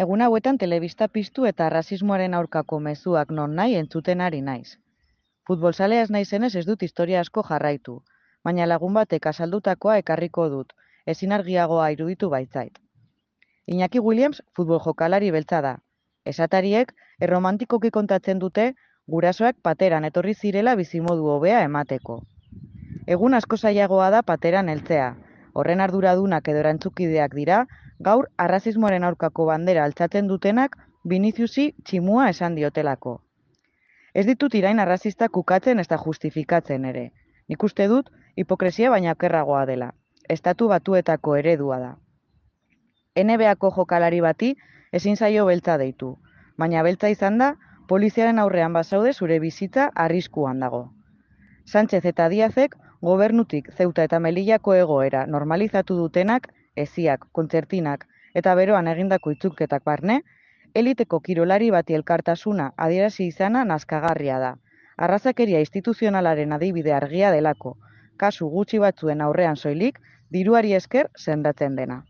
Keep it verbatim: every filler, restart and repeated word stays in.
Egun hauetan telebista piztu eta rasismoaren aurkako mezuak nonahi entzuten ari naiz. Futbolzalea ez naizenez ez dut historia asko jarraitu, baina lagun batek azaldutakoa ekarriko dut, ezin argiagoa iruditu baitzait. Iñaki Williams futbol jokalari beltza da. Esatariek erromantikoki kontatzen dute gurasoak pateran etorri zirela bizimodu hobea emateko. Egun asko zailagoa da pateran heltzea. Horren arduradunak edo erantzukideak dira, gaur arrazismoaren aurkako bandera altxatzen dutenak Viniciusi tximua esan diotelako. Ez ditut irain arrazistak ukatzen ezta justifikatzen ere. Nik uste dut hipokresia baina okerragoa dela. Estatu Batuetako eredua da. N B A-ko jokalari bati ezin zaio beltza deitu, baina beltza izan da, poliziaren aurrean bazaude zure bizitza arriskuan dago. Sánchez eta Díazek gobernutik Zeuta eta Melillako egoera normalizatu dutenak, eziak, kontzertinak eta beroan egindako itzulketak barne, eliteko kirolari bati elkartasuna adierazi izana nazkagarria da. Arrazakeria instituzionalaren adibide argia delako, kasu gutxi batzuen aurrean soilik, diruari esker sendatzen dena.